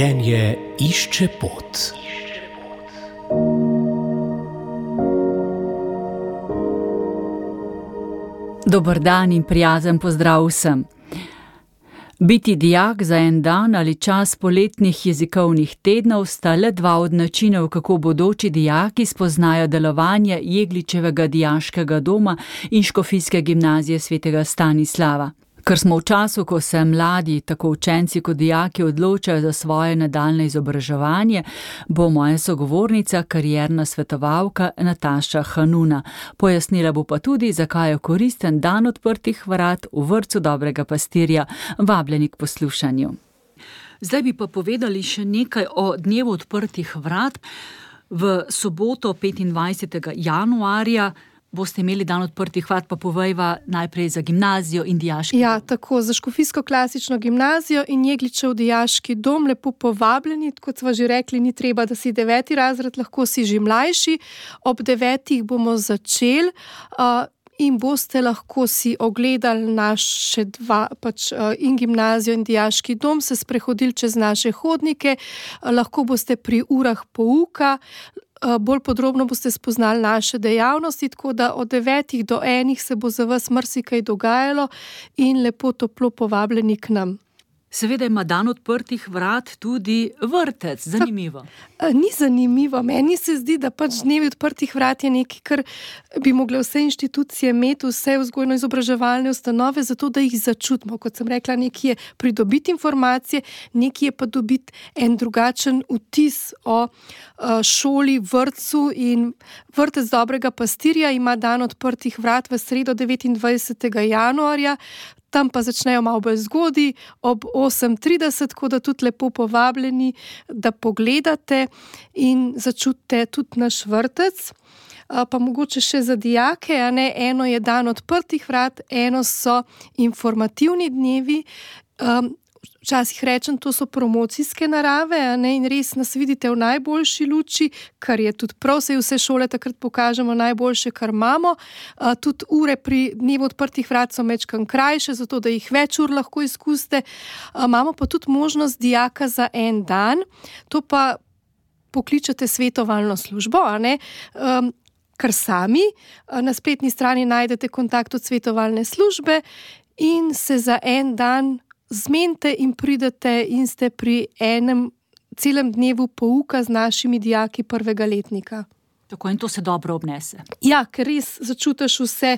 Življenje išče pot. Dober dan in prijazen pozdrav vsem. Biti dijak za en dan ali čas poletnih jezikovnih tednov sta le dva od načinov, kako bodoči dijaki spoznajo delovanje Jegličevega dijaškega doma in Škofijske gimnazije svetega Stanislava. Ker smo v času, ko se mladi, tako učenci kot dijaki, odločajo za svoje nadaljnje izobraževanje, bo moja sogovornica, karierna svetovalka Nataša Hanuna. Pojasnila bo pa tudi, zakaj je koristen dan odprtih vrat v vrtcu Dobrega pastirja. Vabljeni k poslušanju. Zdaj bi pa povedali še nekaj o dnevu odprtih vrat. V soboto 25. januarja boste imeli dan odprtih vrat, pa povejva najprej za gimnazijo in dijaški dom. Ja, tako, za Škofijsko klasično gimnazijo in Jegličev dijaški dom lepo povabljeni, kot sva že rekli, ni treba, da si 9. razred, lahko si že mlajši. Ob 9. bomo začeli in boste lahko si ogledali naše dva, in gimnazijo in dijaški dom, se sprehodili čez naše hodnike, lahko boste pri urah pouka, bolj podrobno boste spoznali naše dejavnosti, tako da od 9. do 1. se bo za vas marsikaj dogajalo in lepo toplo povabljeni k nam. Seveda ima dan odprtih vrat tudi vrtec, zanimivo. Ni zanimivo, meni se zdi, da dnevi odprtih vrat je nekaj, kar bi mogle vse inštitucije imeti, vse vzgojno-izobraževalne ustanove, zato da jih začutimo. Kot sem rekla, nekaj je pridobiti informacije, nekaj je pa dobiti en drugačen vtis o šoli, vrtcu, in vrtec Dobrega pastirja ima dan odprtih vrat v sredo 29. januarja, tam pa začnejo malo bolj zgodaj, ob 8:30, tako da tudi lepo povabljeni, da pogledate in začutite tudi naš vrtec. Pa mogoče še za dijake, eno je dan odprtih vrat, eno so informativni dnevi. Včasih rečem, to so promocijske narave, in res nas vidite v najboljši luči, kar je tudi prav, saj vse šole takrat pokažemo najboljše, kar imamo. Tudi ure pri dnevu odprtih vrat so majčkeno krajše, zato da jih več ur lahko izkusite. Imamo pa tudi možnost dijaka za en dan, to pa pokličete svetovalno službo, kar sami. Na spletni strani najdete kontakt od svetovalne službe in se za en dan zmenite in pridete in ste pri enem celem dnevu pouka z našimi dijaki prvega letnika. Tako, in to se dobro obnese. Ja, ker res začutiš vse,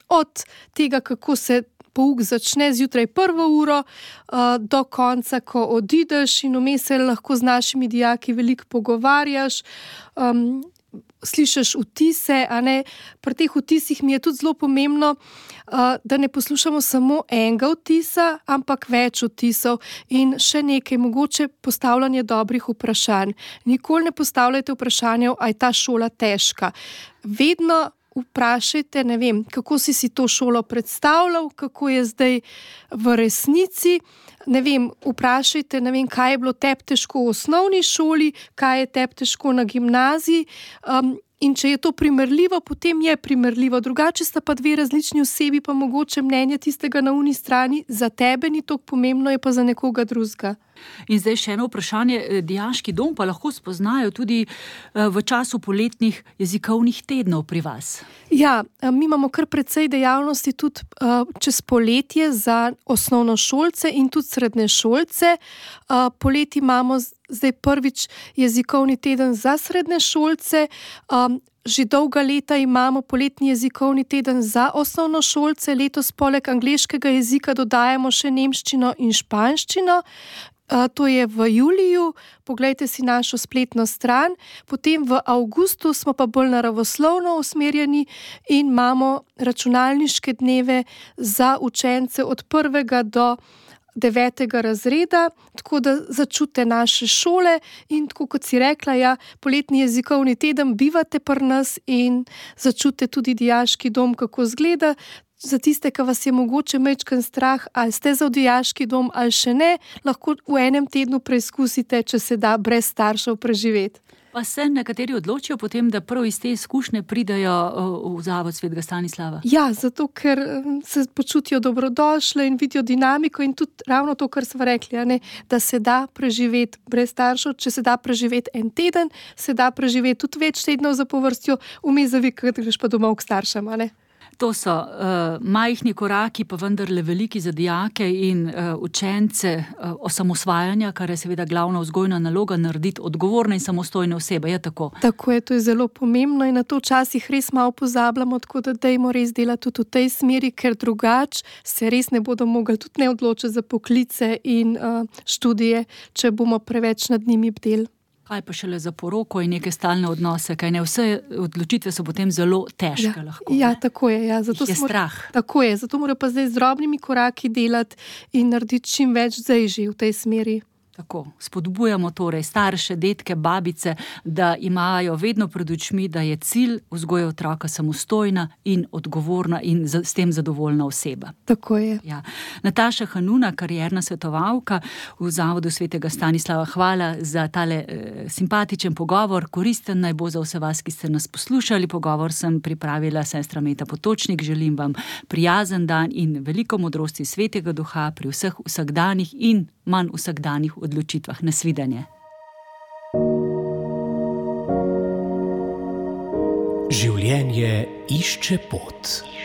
od tega, kako se pouk začne zjutraj prvo uro, do konca, ko odideš, in vmes se lahko z našimi dijaki veliko pogovarjaš, slišiš vtise, Pri teh vtisih mi je tudi zelo pomembno, da ne poslušamo samo enega vtisa, ampak več vtisov. In še nekaj, mogoče postavljanje dobrih vprašanj. Nikoli ne postavljajte vprašanja, a je ta šola težka. Vedno vprašajte, kako si to šolo predstavljal, kako je zdaj v resnici. Vprašajte, kaj je bilo tebi težko v osnovni šoli, kaj je tebi težko na gimnaziji. In če je to primerljivo, potem je primerljivo. Drugače sta pa dve različni osebi, pa mogoče mnenje tistega na uni strani za tebe ni toliko pomembno, je pa za nekoga drugega. In zdaj še eno vprašanje. Dijaški dom pa lahko spoznajo tudi v času poletnih jezikovnih tednov pri vas. Ja, mi imamo kar precej dejavnosti tudi čez poletje za osnovnošolce in tudi srednješolce. Poleti imamo zdaj prvič jezikovni teden za srednješolce. Že dolga leta imamo poletni jezikovni teden za osnovnošolce. Letos poleg angleškega jezika dodajamo še nemščino in španščino. To je v juliju, poglejte si našo spletno stran. Potem v avgustu smo pa bolj naravoslovno usmerjeni in imamo računalniške dneve za učence od 1. do 9. razreda, tako da začutite naše šole in tako kot si rekla, poletni jezikovni teden bivate pri nas in začutite tudi dijaški dom, kako izgleda. za tiste, ki vas je mogoče majčken strah, ali ste za dijaški dom ali še ne, lahko v enem tednu preizkusite, če se da brez staršev preživeti. Pa se nekateri odločijo potem, da prav iz te izkušnje pridejo v Zavod svetega Stanislava? Ja, zato ker se počutijo dobrodošle in vidijo dinamiko in tudi ravno to, kar smo rekli, da se da preživeti brez staršev, če se da preživeti en teden, se da preživeti tudi več tednov zapovrstjo, vmes zavikati, greš pa domov k staršem, To so majhni koraki, pa vendarle veliki za dijake in učence osamosvajanja, kar je seveda glavna vzgojna naloga, narediti odgovorne in samostojne osebe, je tako? Tako je, to je zelo pomembno in na to včasih res malo pozabljamo, tako da dajmo res delati tudi v tej smeri, ker drugače se res ne bodo mogli tudi ne odločiti za poklice in študije, če bomo preveč nad njimi bdeli. Kaj pa šele za poroko in neke stalne odnose, kaj ne, vse odločitve so potem zelo težke lahko. Ja, tako je. Ja. Zato je strah. Tako je, zato morajo pa zdaj z drobnimi koraki delati in narediti čim več zdaj že v tej smeri. Tako, spodbujamo torej starše, detke, babice, da imajo vedno pred očmi, da je cilj vzgoje otroka samostojna in odgovorna in s tem zadovoljna oseba. Tako je. Ja. Nataša Hanuna, karierna svetovalka v Zavodu svetega Stanislava, hvala za tale simpatičen pogovor, koristen naj bo za vse vas, ki ste nas poslušali. Pogovor sem pripravila sestra Meta Potočnik, želim vam prijazen dan in veliko modrosti svetega duha pri vseh vsakdanjih in manj vsakdanjih odločitvah. Nasvidenje. Življenje išče pot.